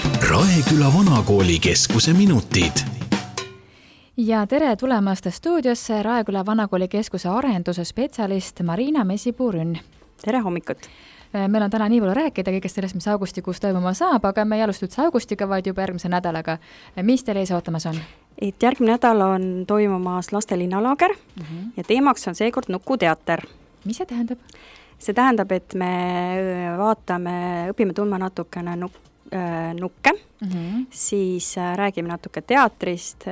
Raeküla Vanakooli keskuse minutid. Ja tere tulemast stuudiosse Raeküla Vanakooli keskuse arenduse spetsialist Marina Mesipuurünn. Tere hommikut! Meil on täna nii palju rääkida kõigest sellest, mis augustikuus toimuma saab, aga me ei alusta üldse augustiga, vaid juba järgmise nädalaga. Mis teil ees ootamas on? Järgmine nädal on toimumas laste linnalaager ja teemaks on seekord nukuteater. Mis see tähendab? See tähendab, et me õpime tundma natukene nukke, siis räägime natuke teatrist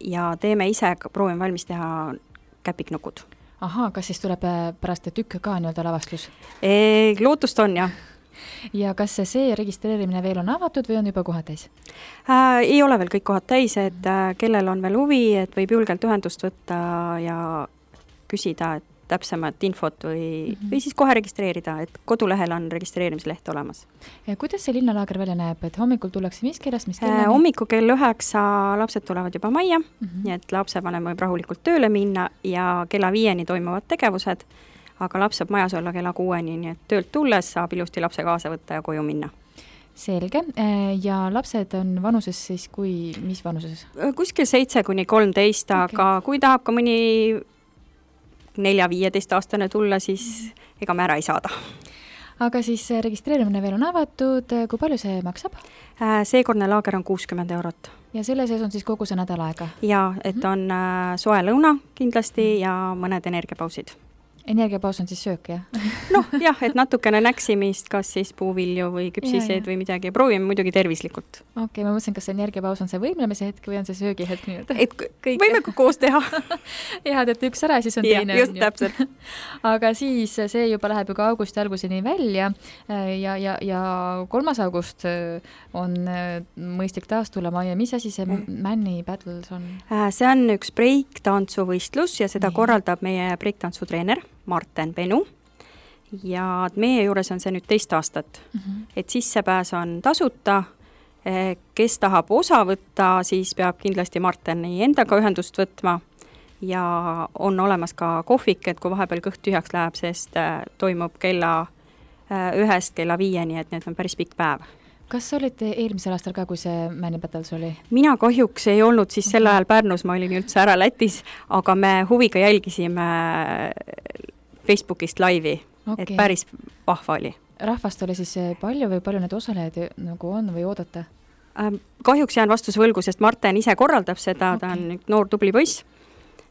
ja teeme ise, proovime valmis teha käpiknukud. Ahaa, kas siis tuleb pärast tükk ka nii-öelda lavastus? Lootust on, jah. Ja kas see registreerimine veel on avatud või on juba kohad täis? Ei ole veel kõik kohad täis, et kellel on veel huvi, et võib julgelt ühendust võtta ja küsida täpsemat infot või siis kohe registreerida, et kodulehel on registreerimisleht olemas. Ja kuidas see linnalaager välja näeb, et hommikul tullakse mis kellast, mis kellani? Hommiku kell 9 lapsed tulevad juba majja, nii et lapsevanem võib rahulikult tööle minna ja kella 5 toimuvad tegevused, aga laps saab majas olla kella 6, nii et töölt tulles saab ilusti lapse kaasa võtta ja koju minna. Selge. Ja lapsed on vanuses siis mis vanuses? Kuskil 7–13, aga kui tahab ka mõni 4-15 aastane tulla, siis ega me ära ei saada. Aga siis registreerimine veel on avatud, kui palju see maksab? Seekordne laager on 60 €. Ja selle sees on siis kogu see nädal aega? Ja, et on soe lõuna kindlasti ja mõned energiapausid. Energiapaus on siis söök, jah? Jah, et natukene näksimist, kas siis puuvilju või küpsiseid või midagi. Proovime muidugi tervislikult. Okei, ma mõtlesin, kas see energiapaus on see võimlemise hetk või on see söögihetk? Võime koos teha. Jah, et üks ära, siis on teine. Just täpselt. Aga siis see juba läheb ju ka augusti alguseni välja ja 3. august on mõistlik taas tulla majja. Mis asi see Männi Battles on? See on üks breiktantsuvõistlus ja seda korraldab meie breiktantsutreener Marten Penu ja meie juures on see nüüd 2 aastat, et sissepääs on tasuta, kes tahab osa võtta, siis peab kindlasti Marteni endaga ühendust võtma ja on olemas ka kohvik, et kui vahepeal kõht tühjaks läheb, sest toimub kella 1 kella 5, et need on päris pikk päev. Kas olite eelmisel aastal ka, kui see Männi Battles oli? Mina kahjuks ei olnud siis sel ajal Pärnus, ma olin üldse ära Lätis, aga me huviga jälgisime Facebookist laivi, et päris vahva oli. Rahvast oli siis palju või palju need osalejad nagu on või oodata? Kahjuks jään vastuse võlgu, sest Marten ise korraldab seda, ta on noor tubli poiss.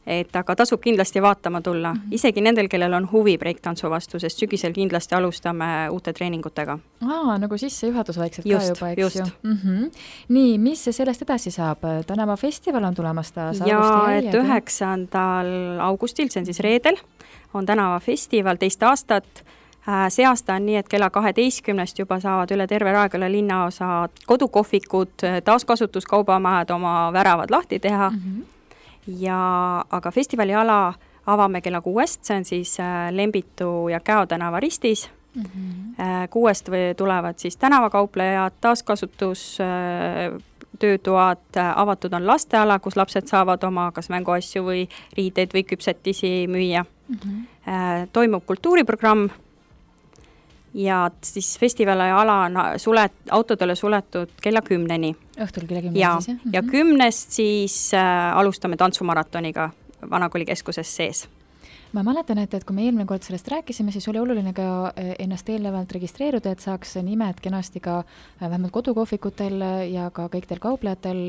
Aga tasub kindlasti vaatama tulla. Isegi nendel, kellel on huvi breiktantsu vastu, sest sügisel kindlasti alustame uute treeningutega. Nagu sissejuhatus vaikselt ka juba, eks just. ju. Nii, mis sellest edasi saab? Tänava festival on tulemas taas. Ja et 9. augustil, see on siis reedel, on tänava festival 2 aastat. See aasta on nii, et kella 12 juba saavad üle terve Raeküla linnaosa kodukohvikud, taaskasutuskaubamajad oma väravad lahti teha. Aga festivali ala avame kella 6, see on siis Lembitu ja Käo tänava ristis. 6 tulevad siis tänavakauplejad, taaskasutus, töötoad, avatud on lasteala, kus lapsed saavad oma kas mänguasju või riideid või küpsetisi müüa. Toimub kultuuriprogramm ja siis festivali ala on autodele suletud kella 10. Õhtul kella 10 siis, jah? Ja 10 siis alustame tantsumaratoniga Vanakooli keskuses sees. Ma mäletan, et kui me eelmine kord sellest rääkisime, siis oli oluline ka ennast eelnevalt registreeruda, et saaks nimed kenasti ka vähemalt kodukohvikutel ja ka kõikidel kauplejatel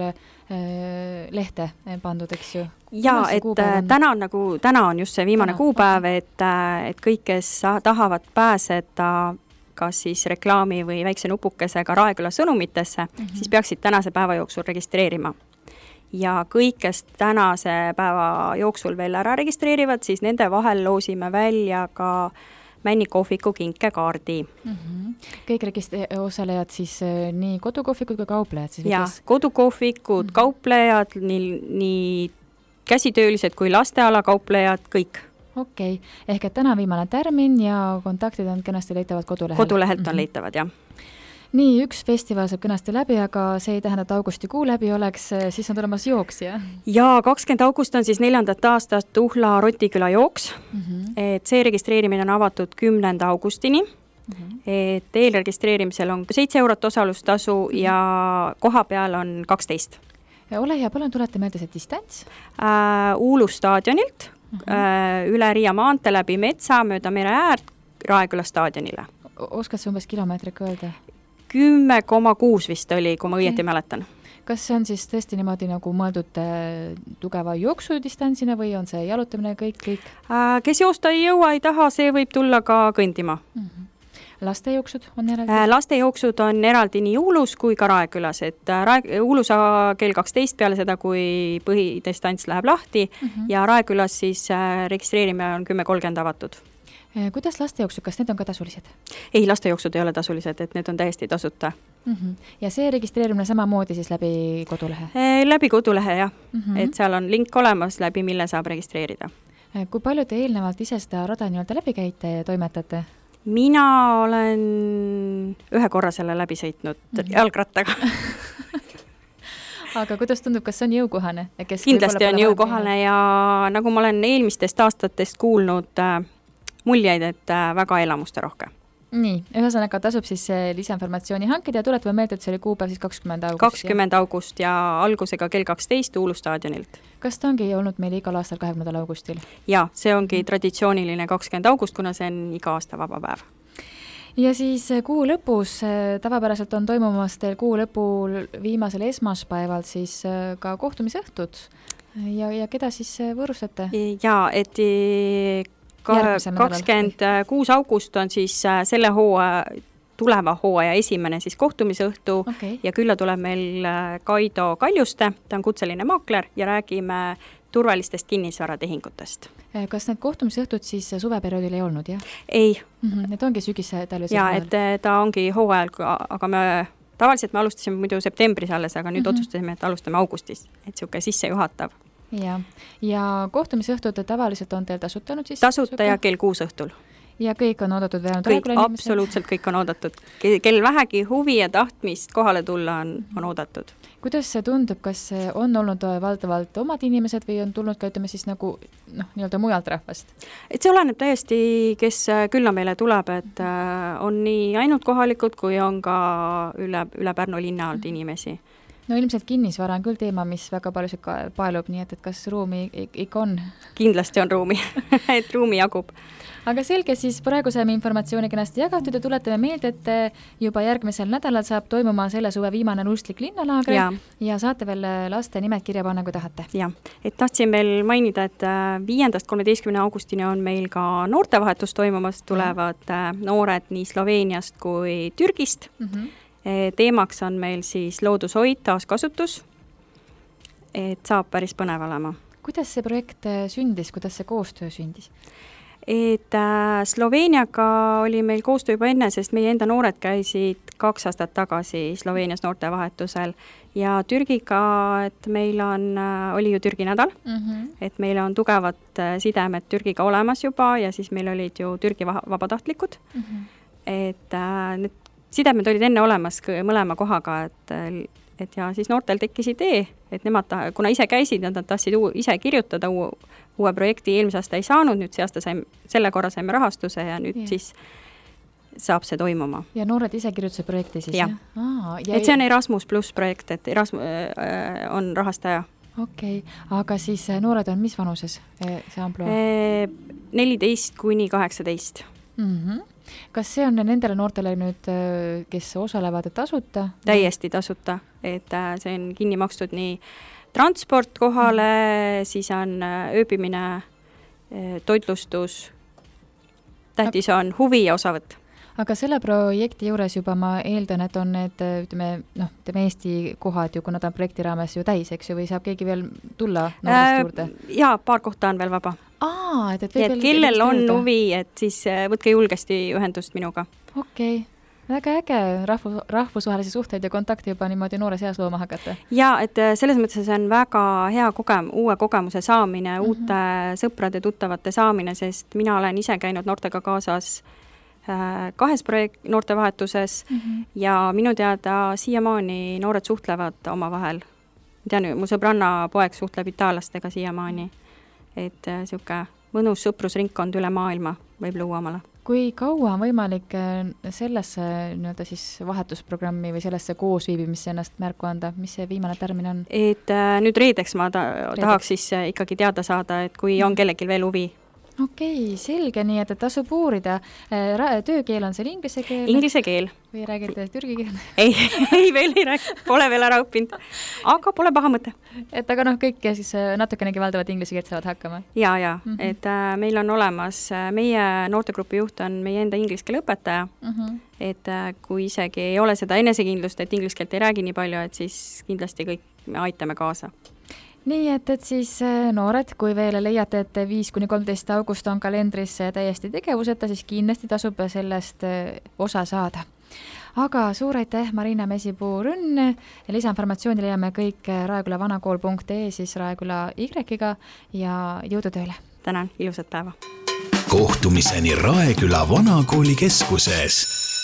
lehte pandud, eks ju? Ja, et täna on just see viimane kuupäev, et kõik, kes tahavad pääseda kas siis reklaami või väikse nupukesega Raeküla sõnumitesse, siis peaksid tänase päeva jooksul registreerima. Ja kõik, kes tänase päeva jooksul veel ära registreerivad, siis nende vahel loosime välja ka Männi kohviku kinkekaardi. Kõik osalejad siis nii kodukohvikud kui kauplejad? Siis ja, kodukohvikud, kauplejad, nii käsitöölised kui lasteala kauplejad, kõik. Okei, ehk et täna viimane tärmin ja kontaktid on kenasti leitavad kodulehel? Kodulehelt on leitavad, jah. Nii, üks festival saab kenasti läbi, aga see ei tähenda, et augustikuu läbi oleks, siis on tulemas jooks, jah? Ja 20. august on siis 4. aastast Tuhla Rotiküla jooks. Et see registreerimine on avatud 10. augustini et eelregistreerimisel on 7 eurot osalustasu ja koha peal on 12. Ole hea, palun tuleta meelde see distants. Uulu staadionilt, üle Riia maantee läbi metsa, mööda mere äärt, Raeküla staadionile. Oskad sa umbes kilomeetrik öelda? 10,6 vist oli, kui ma õieti mäletan. Kas see on siis tõesti niimoodi nagu mõeldud tugeva jooksudistantsina või on see jalutamine kõik? Kes joosta ei jõua, ei taha, see võib tulla ka kõndima. Lastejooksud on eraldi? Lastejooksud on eraldi nii Uulus kui ka Raekülas, et Uulus kell 12 peale seda, kui põhidistants läheb lahti ja Raekülas siis registreerimine on 10:30 avatud. Kuidas lastejooksud, kas need on ka tasulised? Ei, lastejooksud ei ole tasulised, et need on täiesti tasuta. Ja see registreerimine samamoodi siis läbi kodulehe? Läbi kodulehe, jah. Et seal on link olemas, läbi mille saab registreerida. Kui palju te eelnevalt ise seda rada nii-öelda läbi käite ja toimetate? Mina olen 1 korra selle läbi sõitnud jalgrattaga. Aga kuidas tundub, kas see on jõukohane? Kindlasti on jõukohane ja nagu ma olen eelmistest aastatest kuulnud muljeid, et väga elamuste rohke. Nii, ühesõnaga tasub siis lisainformatsiooni hankida ja tuletame meelde, et see oli kuupäev siis 20. august. 20. august ja algusega kell 12 Uulu staadionil. Kas ta ongi olnud meil igal aastal 20. augustil? Jaa, see ongi traditsiooniline 20. august, kuna see on iga aasta vaba päev. Ja siis kuu lõpus, tavapäraselt on toimumas teil kuu lõpul viimasel esmaspäeval siis ka kohtumisõhtud ja keda siis võõrustate? Jaa, et 26. august on siis selle tuleva hooaja esimene siis kohtumisõhtu ja külla tuleb meil Kaido Kaljuste, ta on kutseline maakler ja räägime turvalistest kinnisvaratehingutest. Kas need kohtumisõhtud siis suveperioodil ei olnud, jah? Ei. Need ongi sügis-talvisel hooajal? Jaa, et ta ongi hooajal, aga tavaliselt me alustasime muidu septembris alles, aga nüüd otsustasime, et alustame augustis, et siuke sissejuhatav. Ja kohtumisõhtud tavaliselt on teil tasutanud siis? Tasuta ja kell 6 õhtul. Ja kõik on oodatud veel? Absoluutselt kõik on oodatud. Kel vähegi huvi ja tahtmist kohale tulla on oodatud. Kuidas see tundub, kas on olnud valdavalt omad inimesed või on tulnud ka, ütleme siis nagu nii-öelda mujalt rahvast? Et see oleneb täiesti, kes külla meile tuleb, et on nii ainult kohalikud, kui on ka üle Pärnu linna alt inimesi. No ilmselt kinnisvara on küll teema, mis väga paljusid paelub, nii et kas ruumi ikka on? Kindlasti on ruumi, et ruumi jagub. Aga selge, siis praegu saime informatsiooni kenasti jagatud ja tuletame meelde, et juba järgmisel nädalal saab toimuma selle suve viimane Nuustlik linnalaagri ja saate veel laste nimed kirja panna, kui tahate. Ja, et tahtsin veel mainida, et 5.–13. augustini on meil ka noortevahetus toimumas, tulevad noored nii Sloveeniast kui Türgist. Teemaks on meil siis loodushoid, taaskasutus, et saab päris põnev olema. Kuidas see projekt sündis, kuidas see koostöö sündis? Et Sloveeniaga oli meil koostöö juba enne, sest meie enda noored käisid 2 aastat tagasi Sloveenias noortevahetusel ja Türgiga, et meil oli ju Türgi nädal, et meil on tugevad sidemed Türgiga olemas juba ja siis meil olid ju Türgi vabatahtlikud, et need sidemed olid enne olemas mõlema kohaga, et ja siis noortel tekkis idee, et nemad, kuna ise käisid, nad tahtsid ise kirjutada uue projekti, eelmise aasta ei saanud, nüüd selle korra saime rahastuse ja nüüd siis saab see toimuma. Ja noored ise kirjutuse projekti siis? Jah. Et see on Erasmus Plus projekt, et Erasmus on rahastaja. Okei, aga siis noored on mis vanuses see amploa? 14–18. Kas see on nendele noortele nüüd, kes osalevad tasuta? Täiesti tasuta, et see on kinni makstud nii transport kohale, siis on ööbimine, toitlustus, tähtis on huvi ja osavõtt. Aga selle projekti juures juba ma eeldan, et on need, ütleme Eesti kohad ju, kui nad on projekti raames ju täis, eks ju, või saab keegi veel tulla noorest juurde? Jaa, paar kohta on veel vaba. Et kellel on huvi, et siis võtke julgesti ühendust minuga. Okei. Väga äge rahvusvahelisi suhteid ja kontakti juba niimoodi noores eas looma hakata. Ja, et selles mõttes see on väga hea uue kogemuse saamine, uute sõprade, tuttavate saamine, sest mina olen ise käinud noortega kaasas 2 noortevahetuses ja minu teada siiamaani noored suhtlevad omavahel. Tean, mu sõbranna poeg suhtleb itaallastega siiamaani, et siuke mõnus sõprusringkond üle maailma võib luua omale. kui kaua on võimalik sellesse nii-öelda siis vahetusprogrammi või sellesse koosviibimisse ennast märku anda, mis see viimane tärmin on? Et nüüd reedeks ma tahaks siis ikkagi teada saada, et kui on kellelgi veel huvi. Okei, selge, nii et tasub uurida. Töökeel on seal inglise keel? Inglise keel. Või räägite türgi keel? Ei, veel ei räägi, pole veel ära õppinud, aga pole paha mõte. Et aga kõik siis natukenegi valdavad inglise keelt saavad hakkama? Ja. Et meil on olemas, meie noortegrupi juht on meie enda inglise keele õpetaja, et kui isegi ei ole seda enesekindlust, et inglise keelt ei räägi nii palju, et siis kindlasti kõik me aitame kaasa. Nii et siis noored, kui veel leiate, et 5-13 august on kalendris täiesti tegevuseta, siis kindlasti tasub sellest osa saada. Aga suur aitäh, Marina Mesipuu-Rünn. Lisainformatsiooni leiame kõik raekülavanakool.ee siis Raeküla Y-ga ja jõudu tööle. Tänan, ilusat päeva. Kohtumiseni Raeküla Vanakooli keskuses.